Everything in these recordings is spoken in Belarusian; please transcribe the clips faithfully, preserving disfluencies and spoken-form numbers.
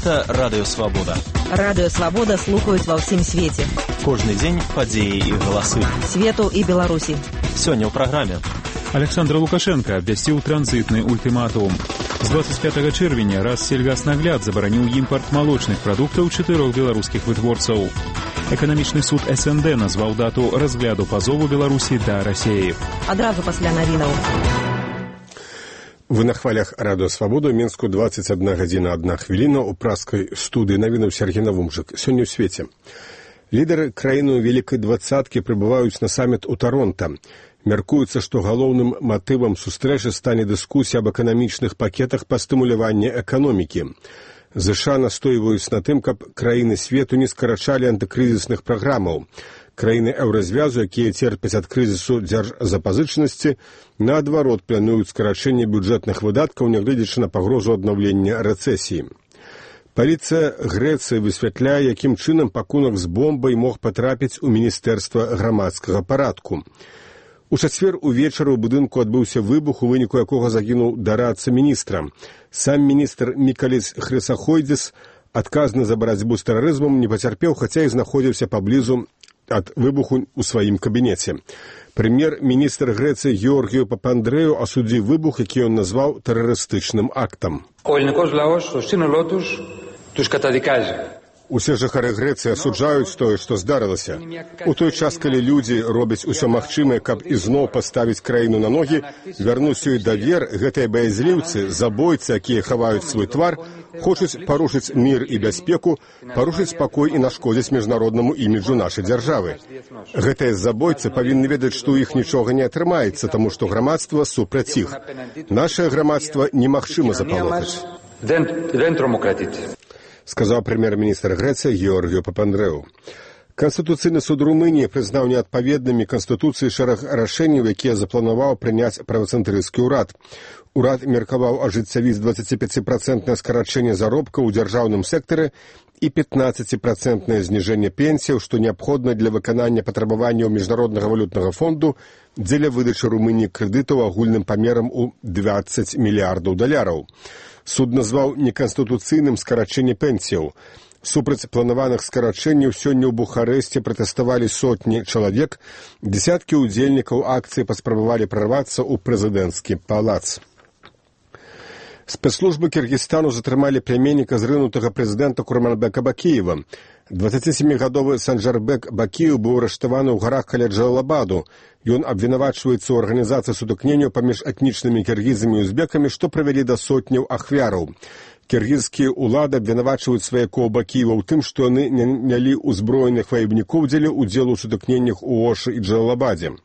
Гэта Радыё Свабода. Радыё Свабода слухаюць ва ўсім свеце. Кожны дзень падзеі і галасы. Свету і Беларусі. Сёння ў праграме. Александр Лукашенко абвясціў транзітны ультыматум. З двадцать пятого чэрвеня Рассельгаснагляд забараніў імпарт малочных прадуктаў чатырох беларускіх вытворцаў. Эканамічны суд эс эн дэ назваў дату разгляду пазову Беларусі да Расеі. Адразу пасля навінаў. Вы на хвалях Радыё Свабода, Мінску, двадцать одна гадзіна одна хвіліна, у праскай студыі навінаў Сергей Навумжык. Сёння ў свеце. Лідары краіны Вялікай двадцаткі прыбываюць на саміт у Таронта. Мяркуецца, што галоўным матывам сустрэчы стане дыскусія аб эканамічных пакетах па стымуляванні эканомікі. ЗША настойваюць на тым, каб краіны свету не скарачалі антыкрызісных праграмаў. Краіны еўразвязу, якія церпяць ад крызісу дзяржзапазычанасці, наадварот плануюць скарачэнне бюджэтных выдаткаў, нягледзячы на пагрозу аднаўлення рэцэсіі. Паліцыя Грэцыі высвятляе, якім чынам пакунак з бомбай мог патрапіць у Міністэрства грамадскага парадку. У чацвер увечары ў будынку адбыўся выбух, у выніку якога загінуў дарадца міністра. Сам міністр Мікаліс Хрысахойдзіс, адказны за барацьбу з тэрарызмам, не пацярпеў, хаця і знаходзіўся паблізу ад выбуху ў сваім кабінеце. Прэм'ер-міністр Грэцыі Георгію Папандрэю асудзіў выбух, які ён назваў тэрарыстычным актам. Усе жыхары Грэцыі асуджаюць тое, што здарылася. У той час, калі людзі робяць усё магчымае, каб ізноў паставіць краіну на ногі, вярнуць ёй давер, гэтыя баязліўцы, забойцы, якія хаваюць свой твар, хочуць парушыць мір і бяспеку, парушыць спакой і нашкодзіць міжнароднаму іміджу нашай дзяржавы. Гэтыя забойцы павінны ведаць, што ў іх нічога не атрымаецца, таму што грамадства супраць іх. Нашае грамадства немагчыма запалохаць. Сказаў прэм'ер-міністр Грэцыі Георгію Папандрэю. Канстытуцыйны суд Румыніі прызнаў неадпаведнымі Канстытуцыі шэраг рашэнняў, якія запланаваў прыняць правацэнтрысцкі ўрад. Урад меркаваў ажыццявіць дваццаціпяціпрацэнтнае скарачэнне заробкаў у дзяржаўным сектары і пятнаццаціпрацэнтнае зніжэнне пенсіяў, што неабходна для выканання патрабаванняў Міжнароднага валютнага фонду дзеля выдачы Румыніі крэдытаў агульным памерам у дваццаць мільярдаў даляраў. Суд назваў неканстытуцыйным скарачэнне пенсіяў. Супраць планаваных скарачэнняў сёння ў Бухарэсце пратэставалі сотні чалавек, дзесяткі ўдзельнікаў акцыі паспрабавалі прарвацца ў прэзідэнцкі палац. Спецслужбы Кіргізстану затрымалі пляменніка зрынутага прэзідэнта Курманбека Бакіева. дваццацісямігадовы Санджарбек Бакіев быў арыштаваны ў гарах каля Джалалабаду. Ён абвінавачваецца ў арганізацыі сутыкненняў паміж этнічнымі кіргізамі і узбекамі, што прывялі да сотняў ахвяраў. Кіргізскія ўлады абвінавачваюць сваякоў Бакіева ў тым, што яны нялі ўзброеных ваебнікоў дзеля ўдзелу ў сутыкненнях у Ошы і Джалалабадзе.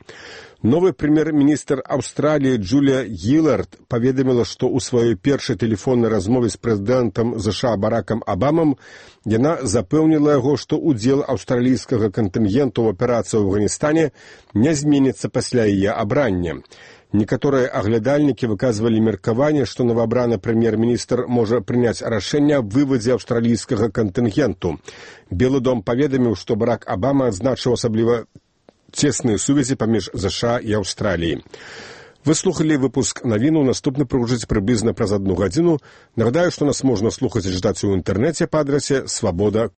Новы прэм'ер-міністр Аўстраліі Джулія Гілард паведаміла, што ў сваёй першай тэлефоннай размове з прэзідэнтам ЗША Баракам Абамам яна запэўніла яго, што ўдзел аўстралійскага кантынгенту ў аперацыі ў Афганістане не зменіцца пасля яе абрання. Некаторыя аглядальнікі выказвалі меркаванне, што новаабраны прэм'ер-міністр можа прыняць рашэнне аб вывадзе аўстралійскага кантынгенту. Белы дом паведаміў, што Барак Абама адзначыў асабліва цесныя сувязі паміж ЗША і Аўстраліяй. Вы слухалі выпуск навіну, наступны прагучыць прыблізна праз адну гадзіну. Нагадаю, што нас можна слухаць і чытаць у інтэрнэце па адрасе свабода